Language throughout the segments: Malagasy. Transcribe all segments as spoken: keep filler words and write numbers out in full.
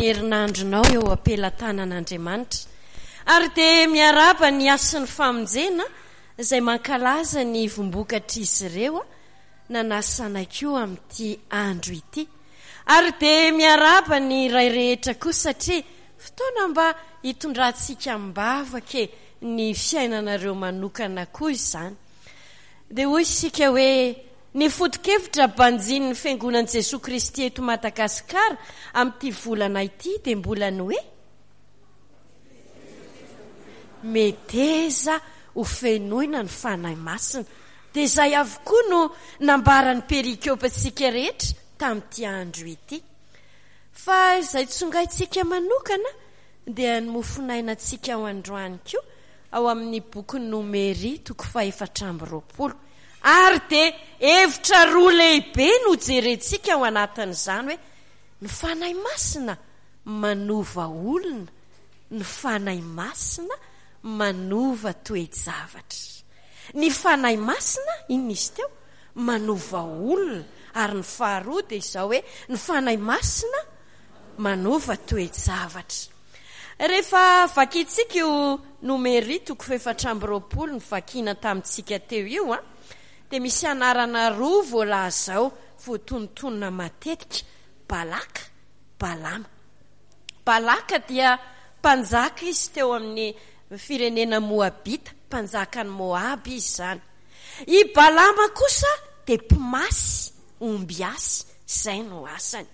Herinandronao eo am-pelatanan'Andriamanitra. Ary dia miarahaba ny hasin'ny famonjena izay mankalaza ny vombokatr'izy ireo nanasanay koa amin'ity andro ity. Ary dia miarahaba ny ray rehetra koa satria fotoana mba hitondrantsika am-bavaka e ny fiainanareo manokana koa izany. Dia hoy isika hoe ny foto-kevitra banjinin'ny Fiangonan'i Jesoa Kristy eto Madagasikara amin'ity volana ity dia mbola ny hoe meteza ho fenoina ny Fanahy Masina. Dia izay avokoa no nambaran'ny perikopantsika rehetra tamin'ity andro ity. Fa izay tsongaintsika manokana dia ny mofonainantsika ao androany koa ao amin'ny bokin'ny Nomery toko fahefatra amby roapolo. Ary dia hevitra roa lehibe no jerentsika ao anatin'izany hoe ny Fanahy Masina manova olona, ny Fanahy Masina manova toe-javatra. Ny Fanahy Masina, inona izy teo? Manova olona. Ary ny faharoa dia izao hoe ny Fanahy Masina manova toe-javatra. Rehefa vakintsika io Nomery toko fahefatra amby roapolo novakiana tamintsika teo io, a, dia misy anarana roa voalaza ao voatonontonona matetika, Balaka, Balama. Balaka dia mpanjaka izy teo amin'ny firenena Moabita, mpanjakan'i Moaba izy izany. I Balama kosa dia mpimasy, ombiasy, izay no asany.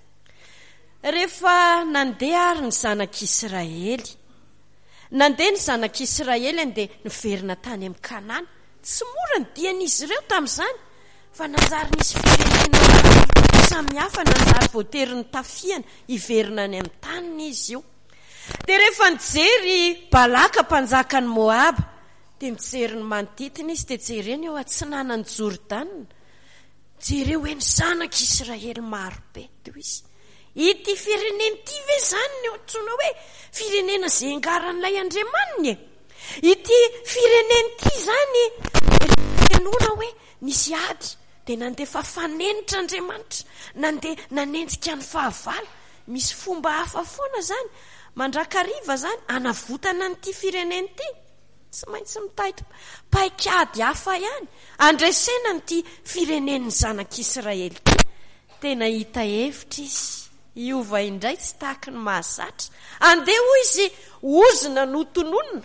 Rehefa nandeha ary ny zanak'Israely, nandeha ny zanak'Israely dia niverina tany amin'ny Kanana. Tsy mora ny dian'izy ireo tamin'izany, fa nanjary nisy firenena maro samihafa nanjary voatery nitafiana hiverina any amin'ny taniny izy io. Dia rehefa nijery Balaka mpanjakan'i Moaba, dia mijery ny manodidina izy, dia jereny eo atsinanan'i Jordana. Jereo hoe ny zanak'Israely maro be. Dia hoy izy, ity firenena ity ve izany no antsoina hoe firenena izay angaran'ilay Andriamaniny e? Ity firenena ity izany henoina hoe nisy ady, dia nandefa fanenitra Andriamanitra, nandeha nanenjika ny fahavalo. Misy fomba hafa foana izany, mandrakariva izany, hanavotana an'ity firenena ity. Tsy maintsy mitady paikady hafa ihany handresena an'ity firenen'ny zanak'Israely ity. Tena hita hevitra izy, hiova indray tsy tahaky ny mahazatra. Andeha hoy izy, ozona no tononina.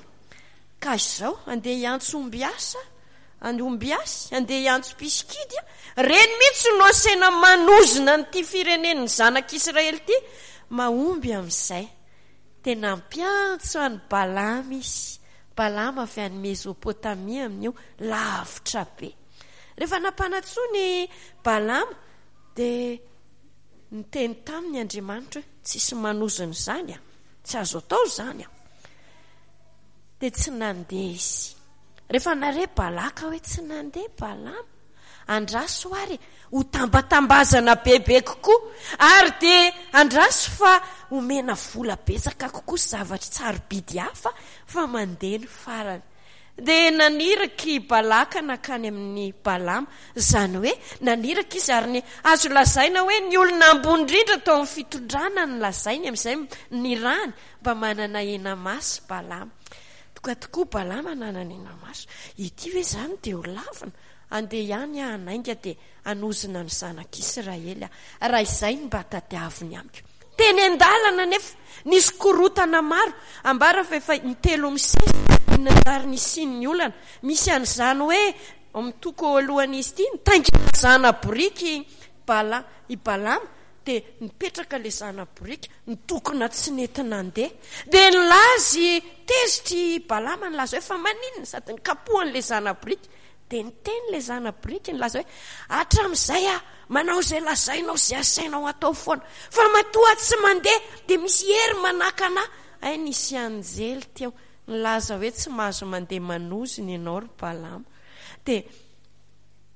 Ka izao, andeha hiantso ombiasa, ombiasy, andeha hiantso mpisikidy. Reny mihitsy no asaina manozona an'ity firenen'ny zanak'Israely ity. Mahomby amin'izay. Dia nampiantso an'i Balama izy. Balama avy any Mezopotamia amin'io, lavitra be. Rehefa nampanantsoiny Balama, dia niteny taminy Andriamanitra hoe tsisy manozona izany, a, tsy azo atao izany. A. Dia tsy nandeha izy. Rehefa nare Balaka hoe tsy nandeha Balama, andraso ary ho tambatambazana bebe kokoa, ary dia andraso fa omena vola betsaka kokoa sy zavatra tsarobidy hafa fa mandeha ny farany. Dia naniraka i Balaka nankany amin'ny Balama, izany hoe naniraka izy, ary ny azo lazaina hoe ny olona ambony indrindra tao amin'ny fitondrana no lazainy amin'izay nirahany mba manana hena-maso Balama. Tonga tokoa Balama nanana hena-maso. Ity ve izany dia ho lavina? Andeha ihany aho hanainga dia hanozona ny zanak'Israely aho, raha izay no mba tadiaviny amiko. Teny an-dalana anefa, nisy korontana maro, ambara fa efa intelo misesy no nanjary nisian'ny olana. Misy an'izany hoe, ao amin'ny toko alohan'izy ity, nitaingina zana-boriky Bala, i Balama, dia nipetraka ilay zana-boriky, nitokona tsy nety nandeha. Dia nilaza i, tezitra i Balama, nilaza hoe fa maninona, sady nikapohany ilay zana-boriky. Dia niteny ilay zana-boriky nilaza hoe, hatramin'izay aho manao izay lazainao izay asainao atao foana, fa matoa aho tsy mandeha dia misy hery manakana ahy. Hay nisy anjely teo nilaza hoe tsy mahazo mandeha manozona ianao ry Balama. Dia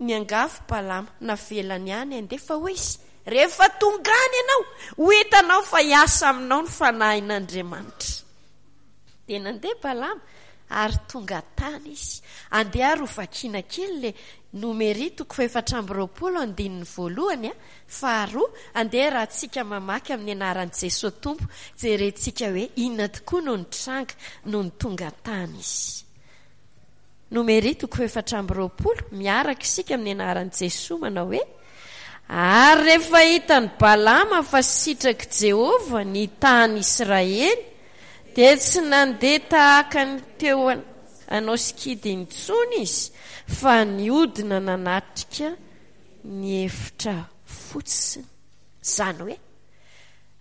niangavy Balama, navelany ihany handeha, fa hoy izy, rehefa tonga any ianao, ho hitanao fa hiasa aminao ny fanahin'Andriamanitra. Dia nandeha Balama, Ary tonga tany izy. Andeha ary ho vakiana kely ilay Nomery toko fahefatra amby roapolo andininy voalohany a, faharoa, andeha raha tsika mamaky amin'ny anaran'i Jesoa Tompo, jerentsika hoe inona tokoa no nitranga nony tonga tany izy. Nomery toko fahefatra amby roapolo, miaraka isika amin'ny anaran'i Jesoa manao hoe: Ary rehefa hitan'i Balama fa sitrak'i Jehovah ny tany Israely, dia tsy nandeha tahaka ny teo hanao sikidy intsony izy, fa nihodina nanatrika ny efitra fotsiny. Izany hoe,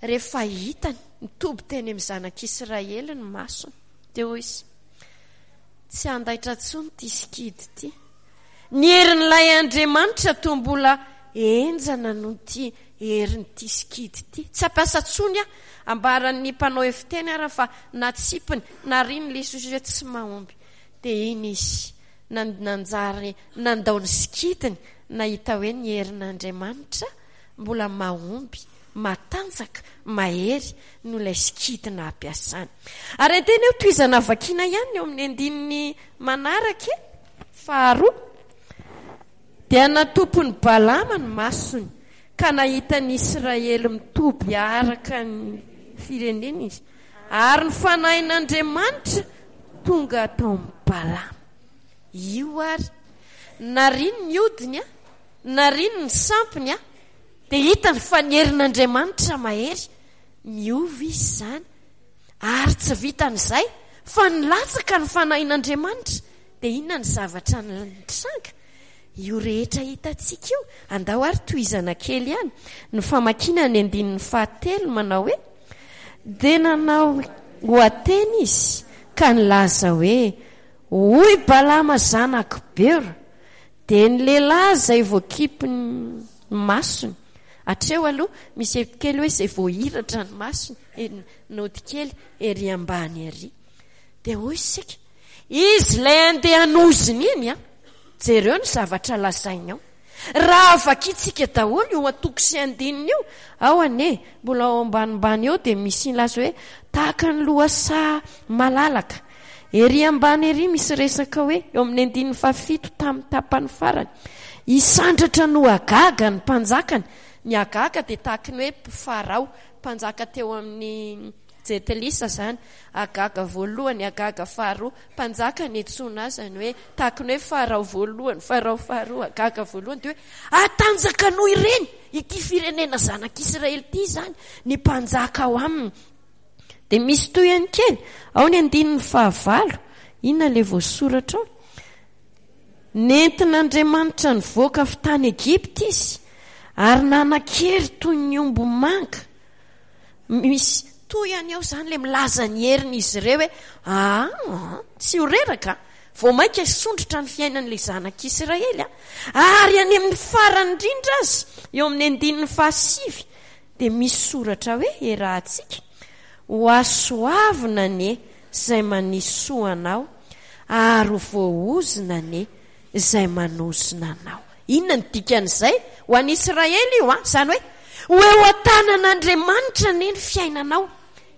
rehefa hitany nitoby teny amin'ny zanak'Israely ny masony, dia hoy izy: Tsy handaitra intsony ity sikidy ity. Ny herin'ilay Andriamanitra toa mbola henjana noho ity herin'ity sikidy ity. Tsy hampiasa intsony aho. Ambaran'ny mpanao hevi-teny ara fa natsipiny, nariany ilay sosotra hoe tsy mahomby. Dia iny izy nanjary nandao ny sikidiny, nahita hoe ny herin'Andriamanitra mbola mahomby, matanjaka, mahery noho ilay sikidy nampiasany. Ary andeha anie ho tohizana vakiana ihany eo amin'ny andininy manaraka e, faharoa. Dia natompon'i Balama ny masony, ka nahita ny Israely mitoby araka ny fireneny izy. Ary ny Fanahin'Andriamanitra tonga tao amin'i Balama. Io ary, nariany ny hodiny, nariany ny sampiny, dia hitany fa ny herin'Andriamanitra mahery. Niova izy izany. Ary tsy vitan'izay, fa nilatsaka ny Fanahin'Andriamanitra. Dia inona ny zavatra nitranga? Io rehetra hitantsika io. Andao ary tohizana kely ihany ny famakiana ny andininy fahatelo manao hoe: Dia nanao ohateny izy ka nilaza hoe, Hoy Balama zanak'i Beora, dia ny lehilahy izay voakipy ny masony. Hatreo aloha misy hevitra kely hoe izay voahiratra ny masony, naoty kely ery ambany ery. Dia hoy isika, izy ilay andeha hanozona iny an, jereo ny zavatra lazainy ao. Raha vakintsika daholo io antoko sy andininy io, ao anie, mbola ao ambanimbany eo dia misy milaza hoe tahaka ny lohasaha malalaka. Ery ambany ery misy resaka hoe, eo amin'ny andininy fahafito tamin'ny tapany farany, hisandratra no Agaga ny mpanjakany. Ny Agaga dia tahaka ny hoe Farao, mpanjaka teo amin'ny Jentilisa izany, Agaga voalohany, Agaga faharoa, mpanjaka niantsoana azy, izany hoe tahaka ny hoe Farao voalohany, Farao faharoa, Agaga voalohany, dia hoe hatanjaka noho ireny ity firenena zanak'Israely ity izany ny mpanjaka ao aminy. Dia misy tohiny kely, ao ny andininy fahavalo, inona ilay voasoratra ao? Nentin'Andriamanitra nivoaka avy tany Egypta izy, ary nanan-kery toy ny omby manga. Misy tohiny ao izany ilay milaza ny herin'izy ireo hoe aa, tsy ho reraka, vao mainka hisondrotra ny fiainan'ilay zanak'Israely. Ary any amin'ny farany indrindra aza, eo amin'ny andininy fahasivy, dia misy soratra hoe erahantsika, ho hasoavina anie izay manisy soa anao, ary ho voaozona anie izay manozona anao. Inona no dikan'izay? Ho an'i Israely io an! Izany hoe, ho eo an-tanan'Andriamanitra anie ny fiainanao.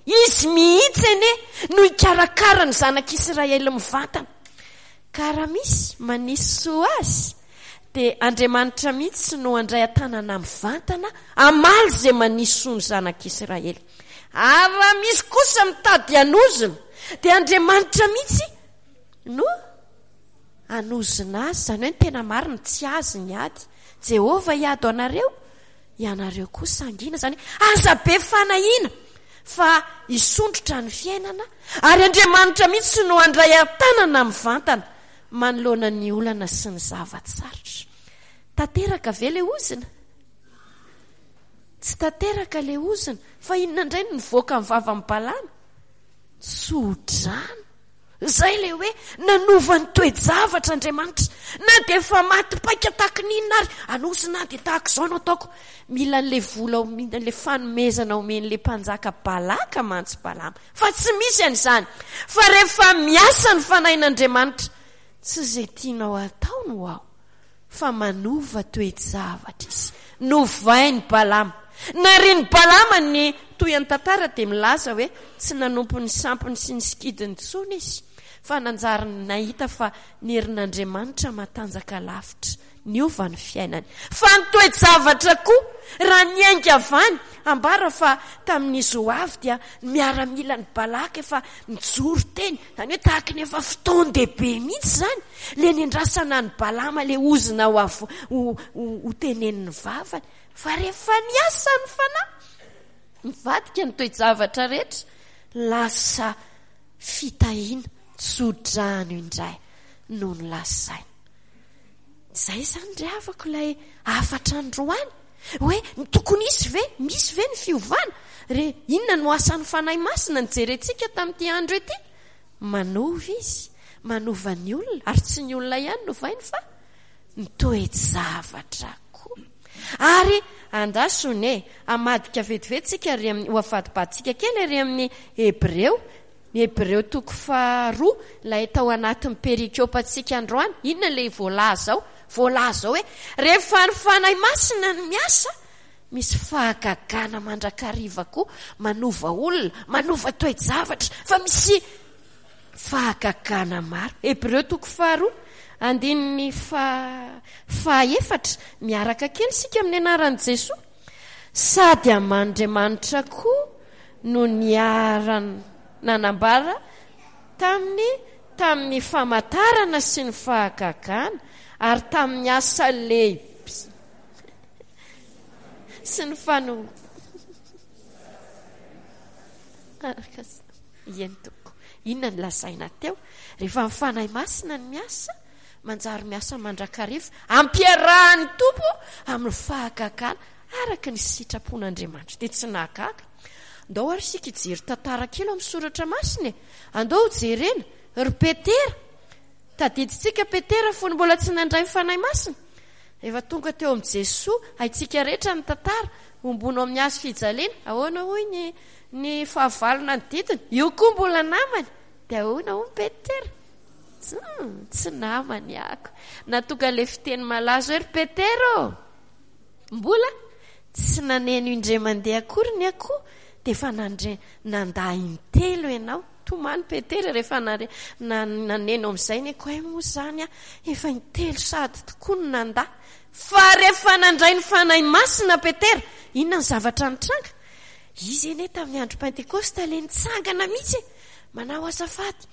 Izy mihitsy anie no hikarakara ny zanak'Israely mivantana. Ka raha misy manisy soa azy, dia Andriamanitra mihitsy no handray an-tanana mivantana hamaly izay manisy soa ny zanak'Israely. Ary raha misy kosa mitady hanozona, dia Andriamanitra mihitsy no hanozona azy, izany hoe ny tena marina, tsy azy ny ady. Jehovah hiady ho anareo, ianareo kosa hangina. Izany hoe aza be fanahiana fa hisondrotra ny fiainana, ary Andriamanitra mihitsy no handray an-tanana mivantana manoloana ny olana sy ny zava-tsarotra. Tanteraka ve ilay ozona? Tsy tanteraka ilay ozona. Fa inona indray no nivoaka ny vavan'i Balama? Tso-drano. Izay ilay hoe nanova ny toe-javatra Andriamanitra. Na dia efa maty paika tahaka ny inona ary, anozona aho dia tahaka izao no ataoko. Mila an'ilay vola omena, ilay fanomezana omen'ilay mpanjaka Balaka mantsy Balama. Fa tsy misy an'izany. Fa rehefa miasa ny Fanahin'Andriamanitra, tsy izay tianao hatao no ao, fa manova toe-javatra Izy. Novain'i Balama. Narian'i Balama ny tohin'ny tantara dia milaza hoe tsy nanompo ny sampiny sy ny sikidiny intsony izy, fa nanjary nahita fa ny herin'Andriamanitra matanjaka lavitra. Niova ny fiainany. Fa ny toe-javatra koa, raha niainga avy any, ambara fa tamin'izy ho avy dia ny miaramilan'i Balaka efa nijoro teny, izany hoe tahaka ny efa fotoan-dehibe mihitsy izany, ilay niandrasana an'i Balama, ilay ozona ho avy ho, ho, ho tenenin'ny vavany. Fa rehefa niasa ny fanahy, nivadika ny toe-javatra rehetra, lasa fitahiana, tso-drano indray no nolazaina. Izay izany ry havako ilay hafatra androany, hoe ny tokony hisy ve, misy ve ny fiovana? Re, inona no asan'ny Fanahy Masina nijerentsika tamin'ity andro ity? Manova izy, manova ny olona, ary tsy ny olona ihany no ovainy fa ny toe-javatra koa. Ary andraso ne, hamadika vetivety tsika ary amin'ny, ho avadibaditsika kely ary amin'ny Hebreo, ny Hebreo toko faharoa, ilay tao anatin'ny perikopantsika androany. Inona ilay voalaza ao? Voalaza ao hoe rehefa ny Fanahy Masina no miasa, misy fahagagana mandrakariva koa, manova olona, manova toe-javatra, fa misy fahagagana maro. Hebreo toko faharoa, andininy fa-, fahaefatra, miaraka kely isika amin'ny anaran'i Jesoa. Sady aman'Andriamanitra koa no niara-nanambara tamin'ny, tamin'ny famantarana sy ny fahagagana ary tamin'ny asa lehibe sy ny fano-, araka eny tompoko. Inona no lazaina teo? Rehefa ny Fanahy Masina no miasa, manjary miasa mandrakariva, ampiarahan'ny Tompo amin'ny fahagagana araka ny sitrapon'Andriamanitra. Dia tsy nahagaga. Andao ary isika hijery tantara kely ao amin'ny soratra masina e. Andao hojerena ry Petera. Tadidintsika Petera fony mbola tsy nandray ny Fanahy Masina. Efa tonga teo amin'i Jesoa, haintsika rehetra ny tantara, hombono amin'ny hazo fijaliana. Ahoana hoy ny, ny fahavalo nanodidina? Io koa mbola namany. Dia ahoana hoy Petera? Tsy, tsy namany ako. Nahatonga ilay fiteny malaza hoe ry Petera ô! Mbola tsy naneno indray mandeha akory ny akoho dia efa nandre, nandà intelo ianao. Tomany Petera rehefa nare-, na-, naneno amin'izay ny akoho, hay moa izany aho efa intelo sady tokoa no nandà. Fa rehefa nandray ny Fanahy Masina Petera, inona ny zavatra nitranga? Izy anie tamin'ny andro Pentekosta ilay nitsangana mihitsy e, manao azafady.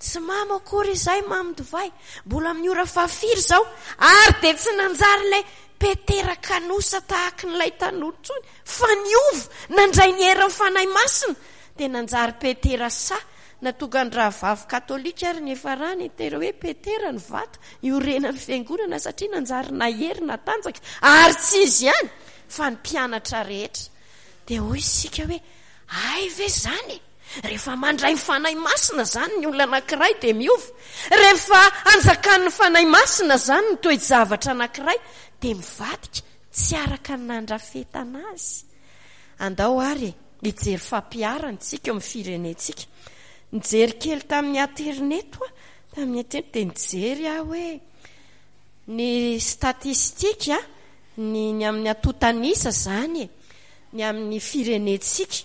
Tsy mamo akory izay mamy divay, mbola amin'ny ora fahafiry izao, ary dia tsy nanjary ilay Petera kanosa tahaka an'ilay tanora intsony, fa niova, nandray ny herin'ny Fanahy Masina, dia nanjary Petera sahy. Natonga ny rahavavy katolika ary ny niafarany tena hoe Petera ny vato iorenan'ny fiangonana, satria nanjary nahery natanjaka, ary tsy izy ihany fa ny mpianatra rehetra. Dia hoy isika hoe hay ve izany e? Rehefa mandray ny Fanahy Masina izany ny olona anankiray dia miova. Rehefa anjakan'ny Fanahy Masina izany ny toe-javatra anankiray dia mivadika tsy araka ny nandrafetana azy. Andao ary hijery fampiharana isika eo amin'ny firenentsika. Nijery kely tamin'ny aterineto aho, tamin'ny aterineto dia nijery aho hoe ny statistika, ny, ny amin'ny antontan'isa izany e, ny amin'ny firenentsika.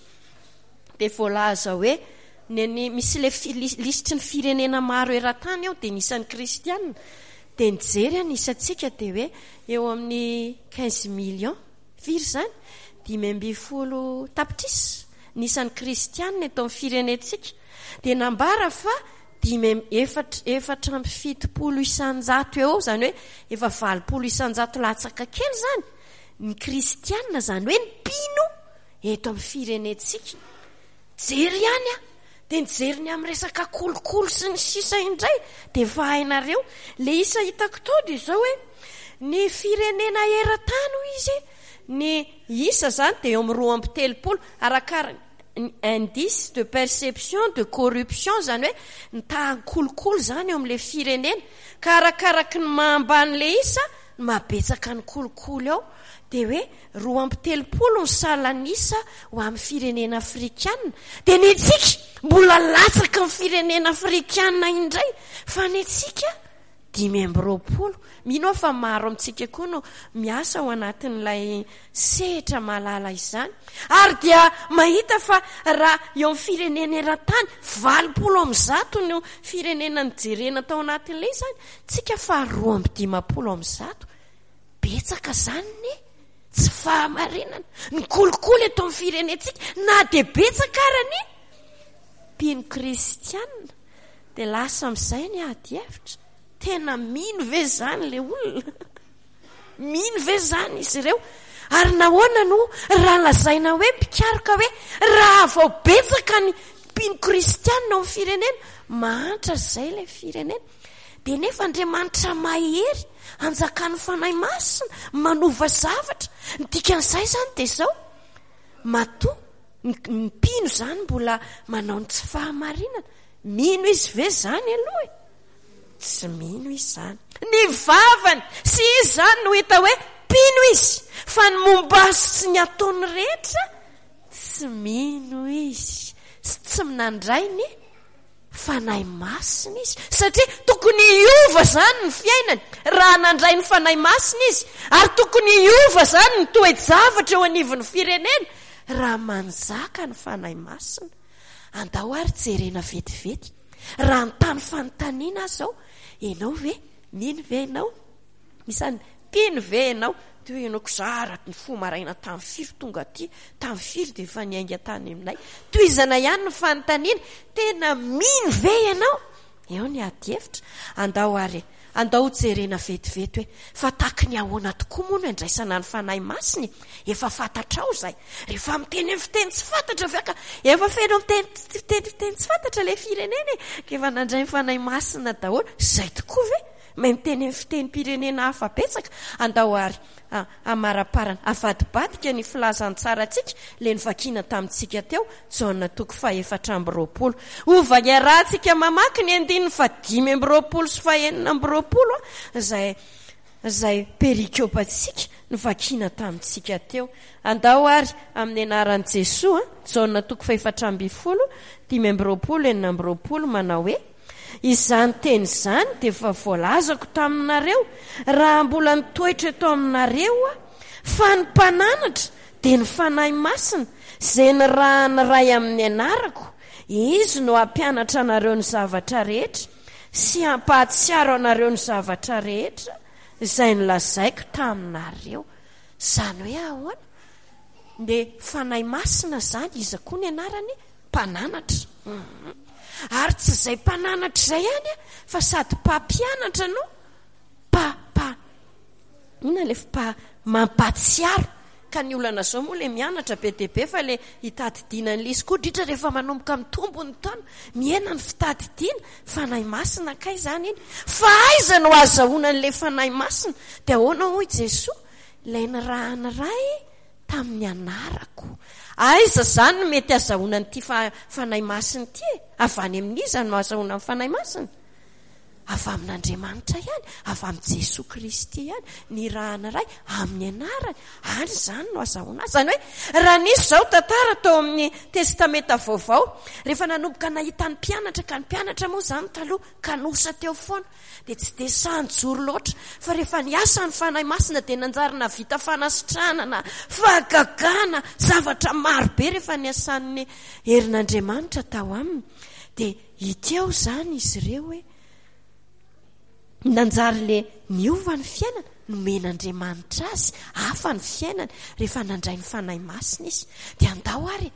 Dia voalaza hoe ny, ny, misy ilay fi-, lis-, lisitry ny firenena maro eran-tany ao, dia ny isan'ny kristianina. Dia nijery ny isantsika dia hoe eo amin'ny quinze millions, firy izany? Dimy ambin'ny folo tapitrisa ny isan'ny kristianina eto amin'ny firenentsika. Dia nambara fa dimy amby efatra, efatra amby fitopolo isan-jato eo, izany hoe efa valopolo isan-jato latsaka kely izany ny kristianina, izany hoe ny mpino eto amin'ny firenentsika. Jery ihany aho, dia nijery ny amin'ny resaka kolikoly sy ny sisa indray, dia efa hainareo. Ilay isa hitako tao dia izao hoe ny firenena eran-tany hoy izy, ny isa izany dia eo amin'ny roa amby telopolo, arakaraka ny indice de perception de corruption, izany hoe ny tahan'ny kolikoly izany eo amin'ilay firenena, ka arakaraky ny maha-ambany ilay isa no mahabetsaka ny kolikoly ao. Dia hoe roa amby telopolo ny salan'isa ho amin'ny firenena afrikana. Dia ny antsika mbola latsaky ny firenena afrikana indray, fa ny antsika dimy amby roapolo. Mino aho fa maro amintsika koa no miasa ao anatin'ilay sehatra mahalala izany. Ary dia mahita fa raha eo amin'ny firenena eran-tany, valopolo amby zato no firenena nijerena tao anatin'ilay izany, tsika fa roa amby dimampolo amby zato. Betsaka izany ne tsy fahamarinana. Ny kolikoly eto amin'ny firenentsika, na dia betsaka ara ny mpino kristianina, dia lasa amin'izay ny ady hevitra. Tena mino ve izany ilay olona? Mino ve izany izy ireo? Ary nahoana no raha lazaina hoe mpikaroka hoe raha vao betsaka ny mpino kristianina ao amin'ny firenena, mahantra izay ilay firenena. Dia nefa Andriamanitra mahery, anjakan'ny Fanahy Masina, manova zavatra. Ny dikan'izay izany dia izao, matoa ny mpino izany mbola manao ny tsy fahamarinana. Mino izy ve izany aloha e? Tsy mino izy izany. Ny vavany sy izy izany no hita hoe mpino izy, fa ny momba azy sy ny ataony rehetra tsy mino izy, sy tsy nandray ny Fanahy Masina izy, satria tokony hiova izany ny fiainany raha nandray ny Fanahy Masina izy, ary tokony hiova izany ny toe-javatra eo anivon'ny firenena raha manjaka ny Fanahy Masina. Andao ary jerena vetivety. Raha nitany fanontaniana aho izao, ianao ve? Mino ve ianao? Isany mpino ve ianao? Toy hoe ianao kizara ny fo maraina tamin'ny firy tonga aty, tamin'ny firy dia efa niainga tany aminay. Tohizana ihany ny fanontaniana, tena mino ve ianao? Eo ny ady hevitra. Andao ary, andao hojerena vetivety hoe fa tahaky ny ahoana tokoa moa no andraisana ny Fanahy Masina e? Efa fantatrao izay. Rehefa miteny amin'ny fiteny tsy fantatra ve ka efa feno miteny fiteny fiteny tsy fantatra ilay firenena e? Ka efa nandray ny Fanahy Masina daholo. Izay tokoa ve? Mahay miteny amin'ny fitenim-pirenena hafa betsaka. Andao ary hamaraparana, avadibadika ny filazantsarantsika, ilay novakiana tamintsika teo, Jaona toko fahefatra amby roapolo. Hova iarahantsika mamaky ny andininy fahadimy amby roapolo sy fahenina amby roapolo, izay izay perikopantsika novakiana tamintsika teo. Andao ary amin'ny anaran'i Jesoa, Jaona toko fahefatra ambin'ny folo, dimy amby roapolo, enina amby roapolo, manao hoe: Izany teny izany dia efa voalazako taminareo raha mbola nitoetra eto aminareo aho, fa ny mpananatra dia ny Fanahy Masina, izay nirahan'ny Ray amin'ny anarako, Izy no hampianatra anareo ny zavatra rehetra sy hampahatsiaro anareo ny zavatra rehetra izay nolazaiko taminareo. Izany hoe ahoana? Dia Fanahy Masina izany, iza koa ny anarany? Mpananatra. Ary tsy izay mpananatra izay ihany fa sady mpampianatra no mpa, mpa, inona ilay mpa, mampahatsiaro. Ka ny olana izao moa ilay mianatra be dia be fa ilay hitadidiana ny lisy koa, indrindra rehefa manomboka mitombo ny taona, mihena ny fitadidiana. Fanahy Masina kay izany iny. Fa aiza no ahazahoana an'ilay Fanahy Masina? Dia ahoana hoy Jesoa? Ilay nirahan'ny Ray tamin'ny anarako. Aiza izany no mety ahazahoana an'ity Fanahy Masina ity e? Avy any amin'iza no ahazahoana ny Fanahy Masina? Avy amin'Andriamanitra ihany, avy amin'i Jesoa Kristy ihany, nirahan'ny Ray amin'ny anarany. Any izany no ahazahoana azy. Izany hoe raha nisy izao tantara tao amin'ny Testamenta Vaovao, rehefa nanomboka nahita ny mpianatra, ka ny mpianatra moa izany taloha kanosa teo foana, dia tsy dia sahy nijoro loatra, fa rehefa niasa ny Fanahy Masina dia nanjary nahavita fanasitranana, fahagagana, zavatra maro be rehefa niasan'ny herin'Andriamanitra tao aminy. Dia hita eo izany izy ireo hoe nanjary le niova ny fiainana, nomen'Andriamanitra azy, hafa ny fiainany rehefa nandray ny Fanahy Masina izy. Dia andao ary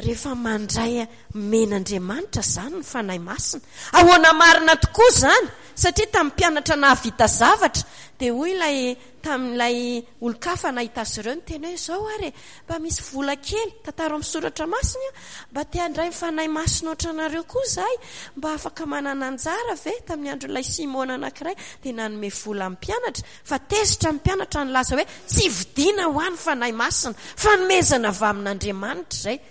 rehefa mandray omen'Andriamanitra izany ny Fanahy Masina. Ahoana marina tokoa izany? Satria tamin'ny mpianatra nahavita zavatra, dia hoy ilay tamin'ilay olon-kafa nahita azy ireo niteny hoe izao ary e, mba misy vola kely, tantara amin'ny soratra masina, mba te handray ny Fanahy Masina ohatranareo koa izahay, mba afaka manana anjara ve? Tamin'ny andron'ilay Simona anankiray dia nanome vola amin'ny mpianatra, fa tezitra ny mpianatra nilaza hoe tsy vidiana ho ahy ny Fanahy Masina, fanomezana avy amin'Andriamanitra izay.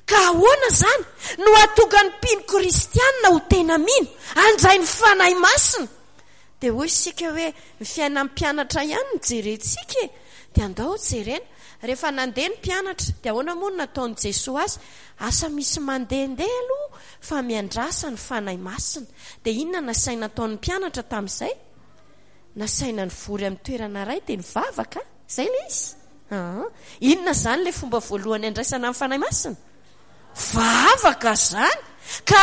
Ka ahoana izany no hahatonga ny mpino kristianina ho tena mino, handray ny Fanahy Masina? Dia hoy isika hoe ny fiainan'ny mpianatra ihany no jerentsika e! Dia andao jerena. Rehefa nandeha ny mpianatra, dia ahoana moa no nataon'i Jesoa azy? Asa misy mandehandeha aloha fa miandrasa ny Fanahy Masina. Dia inona nasaina ataon'ny mpianatra tamin'izay? Nasaina nivory amin'ny toerana iray dia nivavaka. Izay ilay izy. Ah, inona izany ilay fomba voalohany andraisana ny Fanahy Masina? Vavaka izany. Ka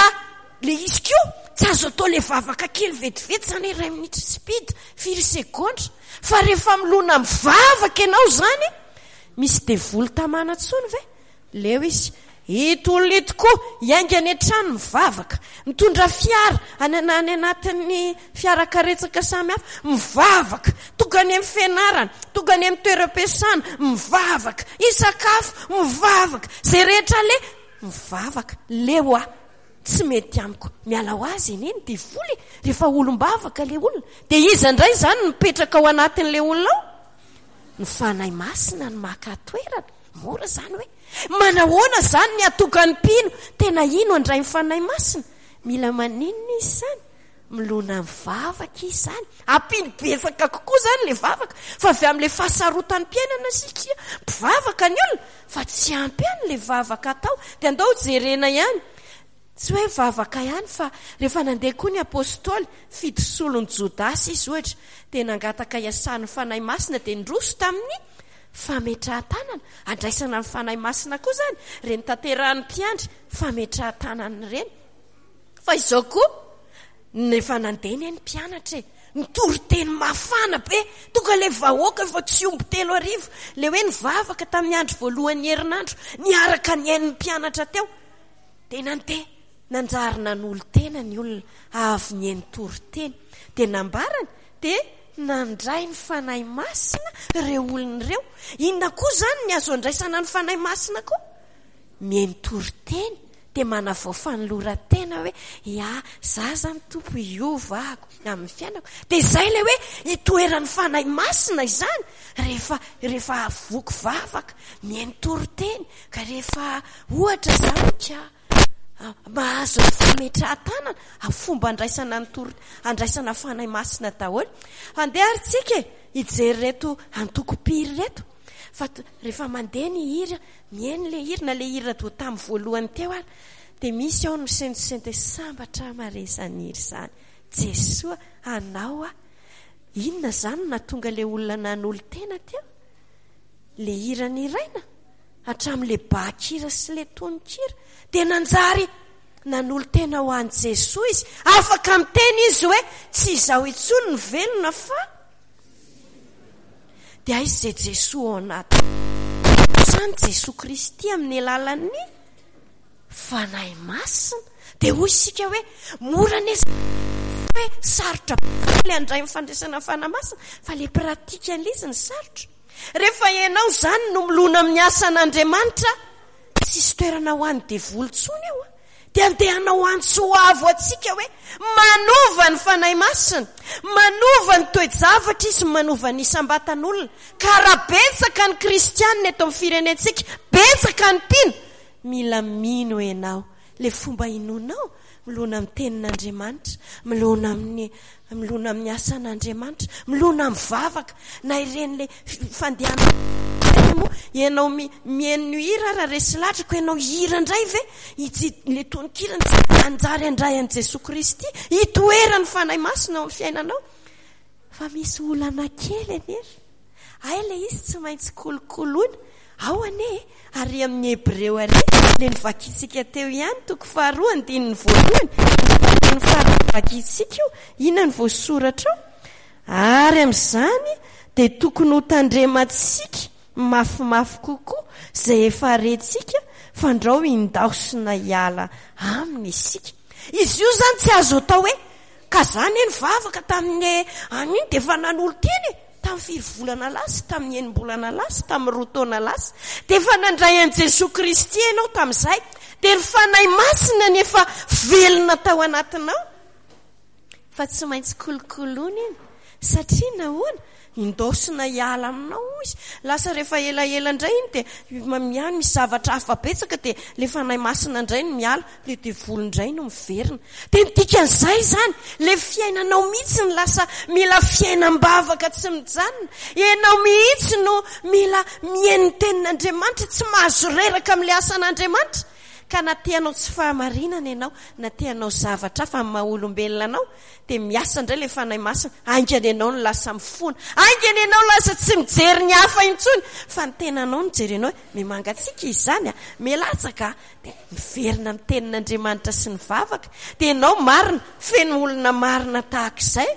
ilay izy koa tsy azo atao ilay vavaka kely vetivety izany, iray minitra speed, firy segondra. Fa rehefa milona mivavaka ianao izany, misy devoly tamana intsony ve? Leo izy. Ito olona ito koa hiainga any an-trano mivavaka, mitondra fiara any any anatin'ny fiarakaretsaka samihafa, mivavaka, tonga any amin'ny fianarana, tonga any amin'ny toeram-piasana, mivavaka, hisakafo, mivavaka, izay rehetra aleha, mivavaka. Leo aho, tsy mety amiko. Miala ho azy anie ny devoly rehefa olom-bavaka ilay olona. Dia iza indray izany no mipetraka ao anatin'ilay olona ao? Ny Fanahy Masina no maka toerana. Mora izany hoe manahoana izany ny hatonga ny mpino tena hino handray ny Fanahy Masina? Mila maninona izy izany? Milona mivavaka izy izany. Ampino betsaka kokoa izany ilay vavaka. Fa avy amin'ilay fahasarotan'ny mpiainana isika mpivavaka ny olona, fa tsy ampy ihany ilay vavaka atao. Dia andao jerena ihany. Tsy hoe vavaka ihany, fa rehefa nandeha koa ny apostoly, fito solon'i Jodasy izy ohatra, dia nangataka hiasan'ny Fanahy Masina, dia niroso tamin'ny fametrahan-tanana. Andraisana ny Fanahy Masina koa izany, ireny tanterahan'ny mpiandry fametrahan-tanana ireny. Fa izao koa, rehefa nandeha anie ny mpianatra e, nitory teny mafana be, tonga ilay vahoaka efa tsy omby telo arivo, ilay hoe nivavaka tamin'ny andro voalohan'ny herinandro, niaraka nihaino ny mpianatra teo. Dia nandeha, nanjary nanolo-tena ny olona avy nihaino toriteny. Dia nambarany, dia nandray ny Fanahy Masina ireo olona ireo. Inona koa izany ny azo andraisana ny Fanahy Masina koa? Mihaino toriteny, dia manavao fanoloran-tena hoe, ya, za izany Tompo hiova ahako amin'ny fiainako. Dia izay ilay hoe itoeran'ny Fanahy Masina izany rehefa, rehefa voky vavaka, mihaino toriteny. Ka rehefa ohatra izany ka mahazo ny fametrahan-tanana, fomba andraisana ny tory, andraisana Fanahy Masina daholo. Andeha ary tsika e, hijery ireto antoko-mpiry ireto. Fa rehefa mandeha ny hira, mihaino ilay hira, na ilay hira toa tamin'ny voalohany teo ary, dia misy ao ny misentosento hoe sambatra mare izany hira izany. Jesoa, anao aho. Inona izany no nahatonga ilay olona nanolo-tena teo? Ilay hira niraina, hatramin'ilay bakira sy ilay tononkira, dia nanjary nanolo-tena ho an'i Jesoa izy. Afaka miteny izy hoe tsy izaho intsony no velona fa dia aiza izay Jesoa ao anaty. Izany Jesoa Kristy amin'ny alalan'ny Fanahy Masina. Dia hoy isika hoe mora anie hoe sarotra be ilay handray ny fandraisana ny Fanahy Masina, fa ilay pratique an'ilay izy no sarotra. Rehefa ianao izany no milona amin'ny asan'Andriamanitra, tsisy toerana ho an'ny devoly intsony eo. Dia andeha hanao antso avo antsika hoe manova ny Fanahy Masina, manova ny toe-javatra izy, manova ny isam-batan'olona. Ka raha betsaka ny kristianina eto amin'ny firenentsika, betsaka ny mpino, mila mino ianao. Ilay fomba inoanao, milona amin'ny tenin'Andriamanitra, milona amin'ny, milona amin'ny asan'Andriamanitra, milona amin'ny vavaka, na ireny ilay fandehanana moa, ianao mihaino hira raha resy lahatra, ko ianao hira indray ve? Ilay tononkira tsy hanjary handray an'i Jesoa Kristy, hitoeran'ny Fanahy Masina ao amin'ny fiainanao. Fa misy olana kely anefa. Hay ilay izy tsy maintsy kolokoloina. Ao anie e, ary amin'ny Hebreo ary, ilay novakintsika teo ihany, toko faharoa, andininy voalohany, andininy faharoa novakintsika io, inona no voasoratra ao? Ary amin'izany dia tokony ho tandremantsika mafimafy kokoa izay efa rentsika, fandrao hindaosina hiala aminy isika. Izy io izany tsy azo atao hoe, ka za anie nivavaka tamin'ny an'iny dia efa nanolo-tena e. Tamin'ny firy volana lasa, tamin'ny enim-bolana lasa, tamin'ny roa taona lasa, dia efa nandray an'i Jesoa Kristy ianao tamin'izay, dia ny Fanahy Masina no efa velona tao anatinao. Fa tsy maintsy kolokoloina iny, satria nahoana? Indaosina hiala aminao izy. Lasa rehefa elaela indray iny dia miany misy zavatra hafa betsaka, dia ilay Fanahy Masina indray no miala, ilay devoly indray no miverina. Dia ny dikan'izay izany, ilay fiainanao mihitsy no lasa mila fiainam-bavaka tsy mijanona. Ianao mihitsy no mila mihaino ny tenin'Andriamanitra, tsy mahazo reraka amin'ilay asan'Andriamanitra. Ka na te hanao tsy fahamarinana ianao, na te hanao zavatra hafa amin'ny maha olombelona anao, dia miasa indray ilay Fanahy Masina. Haingana ianao no lasa mifona. Haingana ianao no lasa tsy mijery ny hafa intsony, fa ny tenanao no jerenao hoe, me mangatsiaka izy izany a, me latsaka a. Dia miverina amin'ny tenin'Andriamanitra sy ny vavaka. Dia ianao marina, feno olona marina tahaka izay,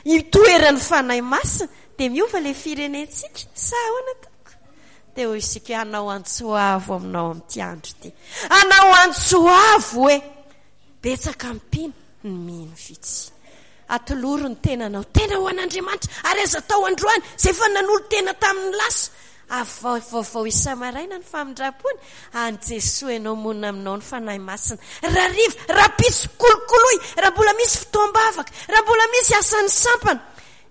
itoeran'ny Fanahy Masina, dia miova ilay firenentsika. Sa ahoana tompoko? Dia hoy isika hoe, hanao antso avo aminao amin'ity andro ity. Hanao antso avo hoe, betsaka ny mpino, ny mino vitsy. Atolory ny tenanao, tena ho an'Andriamanitra, ary aza atao androany, izay efa nanolo-tena tamin'ny lasa. Avao vaovao isa-maraina ny famindram-pony, any Jesoa ianao monina aminao ny Fanahy Masina. Rahariva, rahampitso, kolokoloy, raha mbola misy fotoam-bavaka, raha mbola misy asan'ny sampana.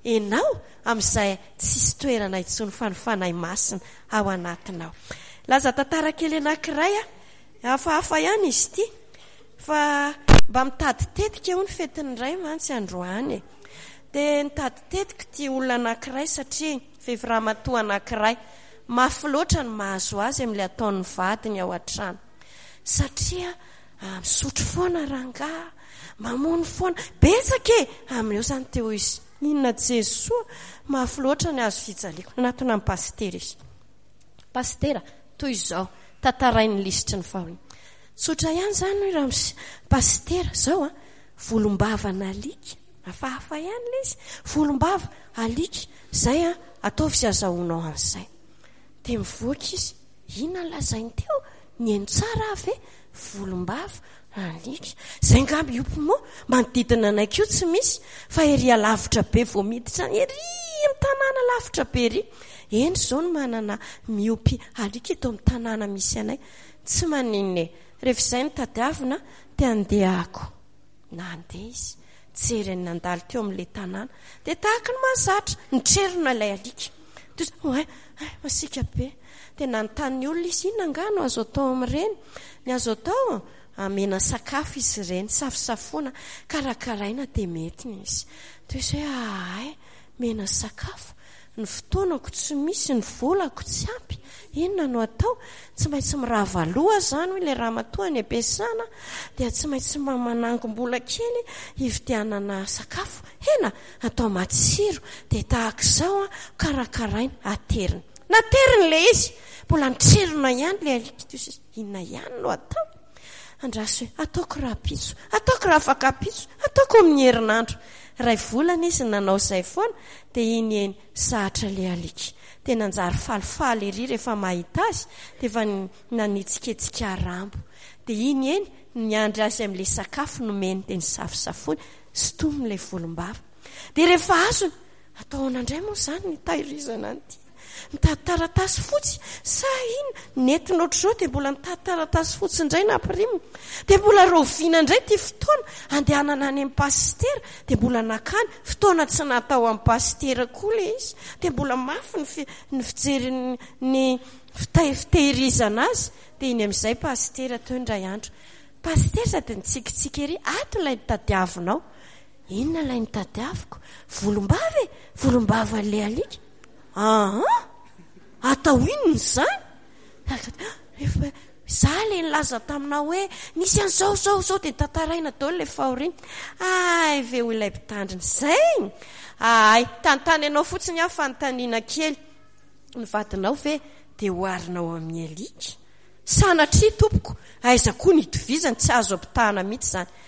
Ianao amin'izay tsisy toerana intsony fa ny Fanahy Masina ao anatinao. Laza tantara kely anankiray aho, hafahafa ihany izy ity, fa mba mitady tetika hono fetin'ny Ray mantsy androany e. Dia nitady tetika ity olona anankiray satria vehivavy ramatoa anankiray, mafy loatra ny mahazo azy amin'ilay ataon'ny vadiny ao an-trano. Satria misotro foana rangahy, mamono foana, betsaka e! Amin'ireo izany teo izy, inona Jesoa, mafy loatra ny hazo fijaliako. Nanatona an'i Pasitera izy. Pasitera, toy izao, tantarain'ny lisitry ny fahoriana. Tsotra ihany izany hoy ramose. Pasitera, izao an, volombavan'alika, hafahafa ihany ilay izy, volombava, alika, izay an, ataovy izay azahoanao an'izay. Dia mivoaka izy, inona no lazainy teo? Nihaino tsara aho ve? Volombava, alika. Izay angamba io moa, manodidina anay koa tsy misy, fa ery alavitra be vao miditra any, ery amin'ny tanàna lavitra be ery. Eny izao no manana miompy alika eto amin'ny tanàna misy anay. Tsy maninona e. Rehefa izay no tadiavina, te handeha ako. Nandeha izy, jereny nandalo teo amin'ilay tanàna. Dia tahaka ny mahazatra, nitrerona ilay alika. Toy izao, oay, ay, masiaka be. Dia nanontany ny olona izy, inona angaha no azo atao amin'ireny? Ny azo atao, amena sakafo izy ireny, safosafoana, karakaraina dia mety ny izy. Toy izao hoe, ahay, mena sakafo. Ny fotoanako tsy misy, ny volako tsy ampy, inona no atao? Tsy maintsy mirava loha izany hoy ilay ramatoa any am-piasana, dia tsy maintsy manangom-bola kely hividianana sakafo, hena atao matsiro, dia tahaka izao karakaraina, aterina. Nateriny ilay izy, mbola nitrerona ihany ilay alika toy izay, inona ihany no atao? Andraso hoe, ataoko rahampitso, ataoko raha afaka-pitso, ataoko amin'ny herinandro. Iray volana izy nanao izay foana, dia iny eny zatra ilay alika. Dia nanjary falifaly ery rehefa mahita azy, dia efa nanetsiketsika rambo. Dia iny eny, niandry azy amin'ilay sakafo nomeny, dia nisafosafoiny, sintominy ilay volombava. Dia rehefa azony, atao ahoana indray moa izany ny hitahirizana an'ity? Mitady taratasy fotsy sa inona? Nentina ohatr'izao dia mbola mitady taratasy fotsy indray nampirimina. Dia mbola rahoviana indray ity fotoana andehanana any amin'ny pasitera? Dia mbola nakany fotoana tsy natao amin'ny pasitera koa ilay izy. Dia mbola mafy ny fi-, ny fijery ny, ny fita-, fitehirizana azy. Dia iny amin'izay pasitera teo indray andro. Pasitera sady nitsikitsiky ery, ato ilay nitadiavinao. Inona ilay nitadiaviko? Volombava e! Volombavan'ilay alika. Aa! Atao inona izany? Efa za ilay nilaza taminao hoe nisy an'izao, izao, izao, dia tantaraina daholo ilay fahoriana. Ay ve hoy ilay mpitandrina, izay? Ay, tantany anao fotsiny aho fanontaniana kely. Ny vadinao ve dia oharinao amin'ny alika? Sanatria tompoko, aiza koa ny itovizany, tsy azo ampitahana mihitsy izany.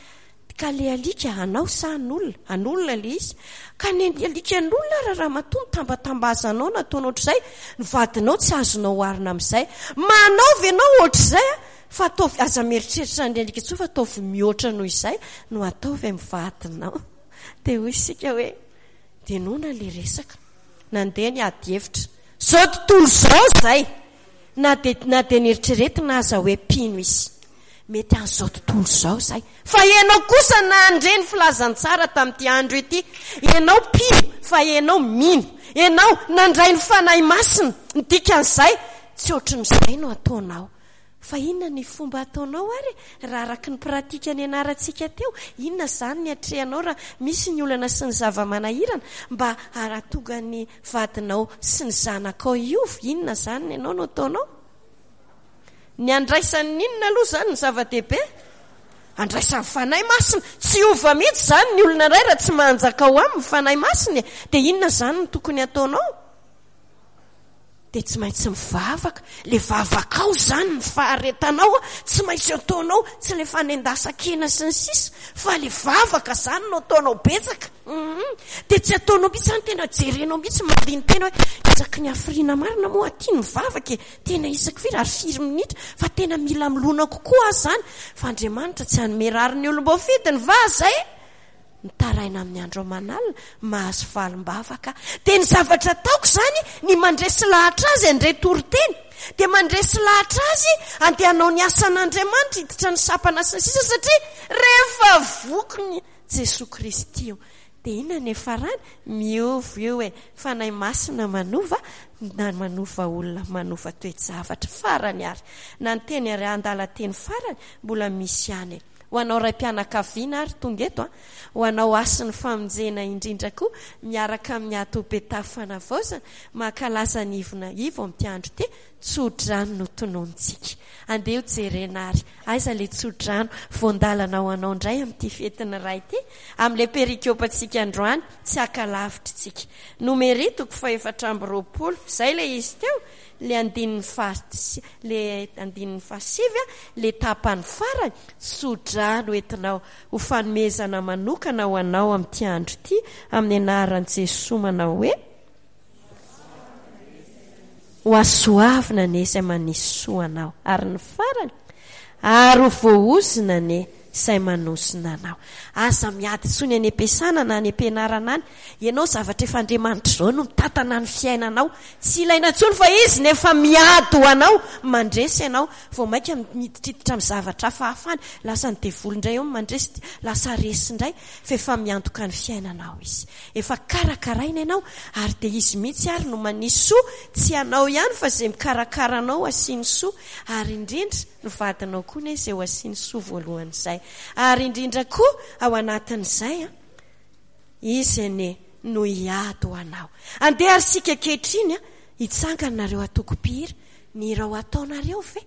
Ka le alika anao sa an'olona? An'olona le izy. Ka ny alika an'olona ara ramatoa mitambatambazanao na ataonao ohatr'izay, ny vadinao tsy azonao oharina amin'izay. Manao ve ianao ohatr'izay a? Fa ataovy, aza mieritreritra ny alika intsony fa ataovy mihoatra noho izay no ataovy amin'ny vadinao. Dia hoy isika hoe, dia noana le resaka. Nandeha ny ady hevitra. Izao tontolo izao izay! Na dia, na dia neritreretina aza hoe mpino izy. Mety an'izao tontolo izao izay. Fa ianao kosa nandre ny filazantsara tamin'ity andro ity. Ianao mpino, fa ianao mino. Ianao nandray ny Fanahy Masina. Ny dikan'izay, tsy ohatran'izay no ataonao. Fa inona ny fomba ataonao ary e? Raha araka ny pratika nianarantsika teo, inona izany ny atrehanao raha misy ny olana sy ny zava-manahirana mba hahatonga ny vadinao sy ny zanakao hiova? Inona izany ny anao no ataonao? Ny andraisan'ny inona aloha izany ny zava-dehibe? Andraisan'ny Fanahy Masina. Tsy hiova mihitsy izany ny olona iray raha tsy manjaka ao aminy ny Fanahy Masina e. Dia inona izany no tokony hataonao? Dia tsy maintsy mivavaka. Ilay vavakao izany, ny faharetanao, tsy maintsy ataonao, tsy ilay fanendasan-kena sy ny sisa, fa ilay vavaka izany no ataonao betsaka. Mhm. Dia tsy ataonao mihitsy izany, tena jerenao mihitsy, mandini-tena hoe, isaky ny hafiriana marina moa aty ny mivavaka e, tena isaky firy ary firy minitra, fa tena mila milona kokoa aho izany, fa Andriamanitra tsy hanome rariny olom-boafidiny va izay? Mitaraina amin'ny andro aman'alina, mahazo valim-bavaka. Dia ny zavatra ataoko izany, ny mandresy lahatra azy handre toriteny, dia mandresy lahatra azy handeha hanao ny asan'Andriamanitra, hiditra ny sampana sy ny sisa, satria rehefa voky ny Jesoa Kristy io, dia inona ny hiafarany? Miova io e! Fanahy Masina manova, na manova olona, manova toe-javatra. Farany ary, na ny teny ary andalan-teny farany, mbola misy ihany e! Ho anao raim-pianakaviana ary tonga eto an, ho anao hasin'ny famonjena indrindra koa miaraka amin'ny ato Betafo Fanavaozana, mankalaza ny ivona ivo amin'ity andro ity, tso-drano no tononintsika. Andeha ho jerena ary, aiza ilay tso-drano, voan-dalana ho anao indray amin'ity fetin'ny Ray ity, amin'ilay perikopantsika androany, tsy haka lavitra isika. Nomery toko fahefatra amby roapolo, izay ilay izy teo, le andininy faha le andininy fahasivy a, le tapany farany, tso-drano entinao ho fanomezana manokana ho anao amin'ity andro ity, amin'ny anaran'i Jesoa manao hoe, Ho hasoavina anie izay manisy soa anao. Ary ny farany, ary ho voaozona anie izay manozona anao. Aza miady intsony any am-piasana na any am-pianarana any. Ianao zavatra efa Andriamanitra izao no mitantana ny fiainanao. Tsy ilaina intsony fa Izy no efa miady ho anao. Mandresy ianao. Vao mainka miditriditra amin'ny zavatra hafahafa any. Lasa ny devoly indray eo no mandresy. Lasa resy indray. Fa efa miantoka ny fiainanao Izy. Efa karakaraina ianao ary dia Izy mihitsy ary no manisy soa. Tsy ianao ihany fa izay mikarakara anao asiany soa. Ary indrindra ny vadinao koa anie izay ho asiany soa voalohany izay. Ary indrindra koa ao anatin'izay an, Izy anie no hiady ho anao. Andeha ary isika ankehitriny an, hitsangana nareo antoko mpihira, ny hira ho ataonareo ve?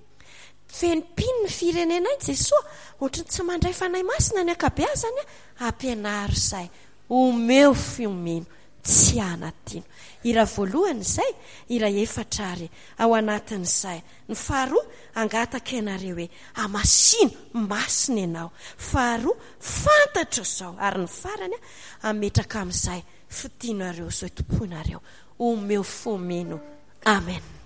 Feno mpino ny firenenay Jesoa, ohatry ny tsy mandray Fanahy Masina ny ankabeazany an, ampianaro izay, omeo fo mino. Tsy hanadino. Hira voalohany izay, hira efatra ary ao anatin'izay. Ny faharoa, hangataka ianareo hoe, hamasino, masina ianao. Faharoa, fantatro izao. Ary ny farany, hametraka amin'izay fitianareo izao tompoinareo. Omeo fo mino. Amen.